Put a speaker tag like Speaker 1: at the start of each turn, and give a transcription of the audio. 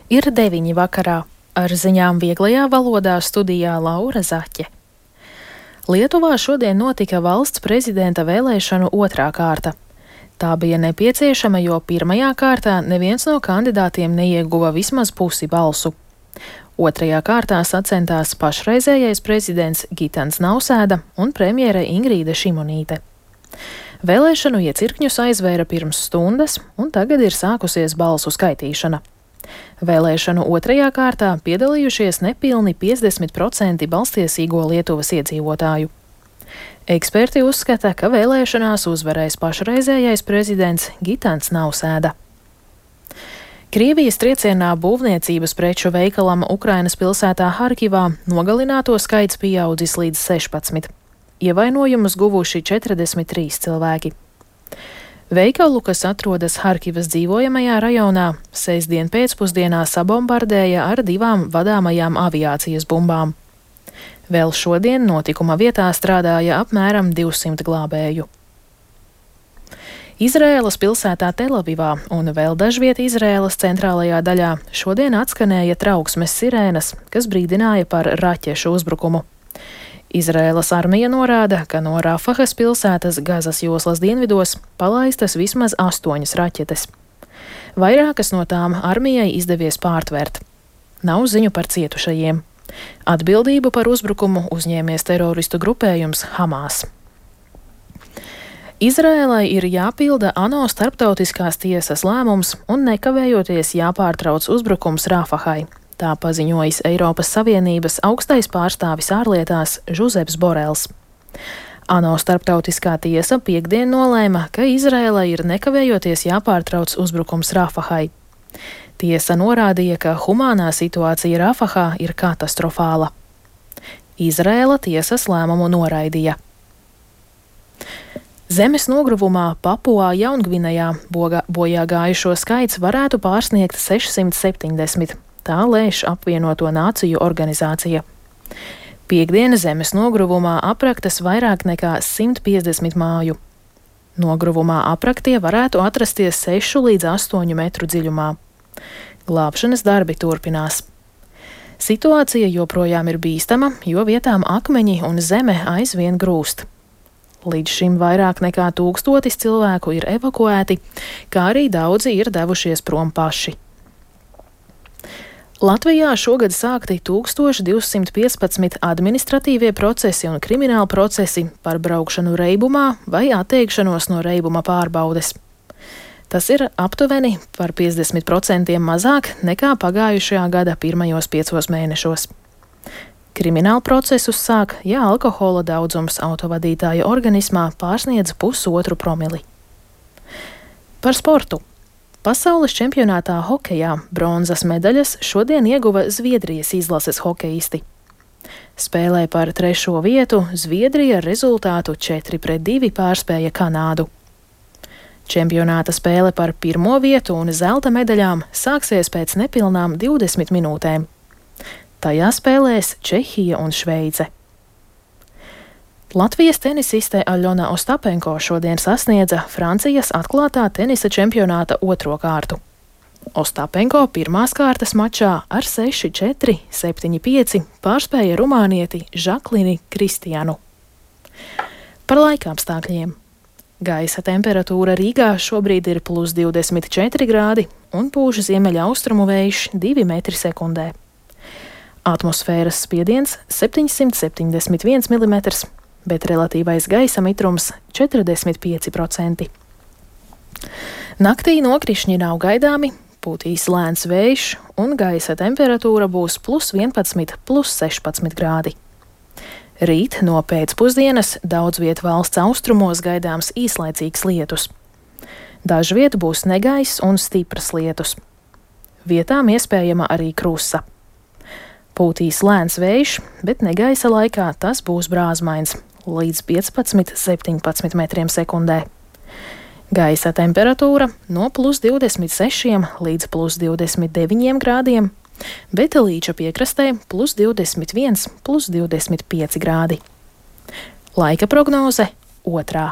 Speaker 1: Ir 9 vakarā. Ar ziņām vieglajā valodā studijā Laura Zaķe. Lietuvā šodien notika valsts prezidenta vēlēšanu otrā kārta. Tā bija nepieciešama, jo pirmajā kārtā neviens no kandidātiem neieguva vismaz pusi balsu. Otrajā kārtā sacentās pašreizējais prezidents Gitans Nausēda un premjere Ingrīda Šimonīte. Vēlēšanu iecirkņus aizvēra pirms stundas, un tagad ir sākusies balsu skaitīšana. Vēlēšanu otrajā kārtā piedalījušies nepilni 50% balstiesīgo Lietuvas iedzīvotāju. Eksperti uzskata, ka vēlēšanās uzvarēs pašreizējais prezidents Gitans Nausēda. Krievijas triecienā būvniecības preču veikalam Ukrainas pilsētā Harkivā nogalināto skaits pieaudzis līdz 16. Ievainojumus guvuši 43 cilvēki. Veikalu, kas atrodas Harkivas dzīvojamajā rajonā, sestdien pēcpusdienā sabombardēja ar 2 vadāmajām aviācijas bumbām. Vēl šodien notikuma vietā strādāja apmēram 200 glābēju. Izraēlas pilsētā Telavivā un vēl dažviet Izraēlas centrālajā daļā šodien atskanēja trauksmes sirēnas, kas brīdināja par raķešu uzbrukumu. Izraēlas armija norāda, ka no Rafahas pilsētas Gazas joslas dienvidos palaistas vismaz 8 raķetes. Vairākas no tām armijai izdevies pārtvert. Nav ziņu par cietušajiem. Atbildību par uzbrukumu uzņēmies teroristu grupējums Hamas. Izraēlai ir jāpilda ANO starptautiskās tiesas lēmums un nekavējoties jāpārtrauc uzbrukums Rafahai. Tā paziņojis Eiropas Savienības augstais pārstāvis ārlietās Žuzeps Borels. ANO starptautiskā tiesa piektdien nolēma, ka Izraēlai ir nekavējoties jāpārtrauc uzbrukums Rafahai. Tiesa norādīja, ka humānā situācija Rafahā ir katastrofāla. Izraēla tiesas lēmumu noraidīja. Zemes nogruvumā Papuā Jaungvinejā bojā gājušo skaits varētu pārsniegt 670. Tā lēš apvienoto nāciju organizācija. Piektdiena zemes nogruvumā apraktas vairāk nekā 150 māju. Nogruvumā apraktie varētu atrasties 6 līdz 8 metru dziļumā. Glābšanas darbi turpinās. Situācija joprojām ir bīstama, jo vietām akmeņi un zeme aizvien grūst. Līdz šim vairāk nekā 1000 cilvēku ir evakuēti, kā arī daudzi ir devušies prom paši. Latvijā šogad sākti 1215 administratīvie procesi un krimināli procesi par braukšanu reibumā vai atteikšanos no reibuma pārbaudes. Tas ir aptuveni par 50% mazāk nekā pagājušajā gada pirmajos 5 mēnešos. Krimināli procesus sāk, ja alkohola daudzums autovadītāja organismā pārsniedz 1,5 promili. Par sportu. Pasaules čempionātā hokejā bronzas medaļas šodien ieguva Zviedrijas izlases hokejisti. Spēlē par 3. vietu Zviedrija ar rezultātu 4-2 pārspēja Kanādu. Čempionāta spēle par 1. vietu un zelta medaļām sāksies pēc nepilnām 20 minūtēm. Tajā spēlēs Čehija un Šveice. Latvijas tenisiste Aļona Ostapenko šodien sasniedza Francijas atklātā tenisa čempionāta 2. kārtu. Ostapenko pirmās kārtas mačā ar 6-4, 7-5 pārspēja rumānieti Žaklini Kristianu. Par laikapstākļiem. Gaisa temperatūra Rīgā šobrīd ir +24 grādi un pūš ziemeļaustrumu vējš 2 metri sekundē. Atmosfēras spiediens 771 mm, bet relatīvais gaisa mitrums 45%. Naktī nokrišņi nav gaidāmi, pūtīs lēns vējš un gaisa temperatūra būs +11, +16 grādi. Rīt no pēcpusdienas daudz viet valsts austrumos gaidāms īslaicīgs lietus. Dažviet būs negaiss un stipras lietus. Vietām iespējama arī krusa. Pūtīs lēns vējš, bet negaisa laikā tas būs brāzmains līdz 15-17 metriem sekundē. Gaisa temperatūra no +26 līdz +29 grādiem, bet Līča piekrastē +21, +25 grādi. Laika prognoze 2.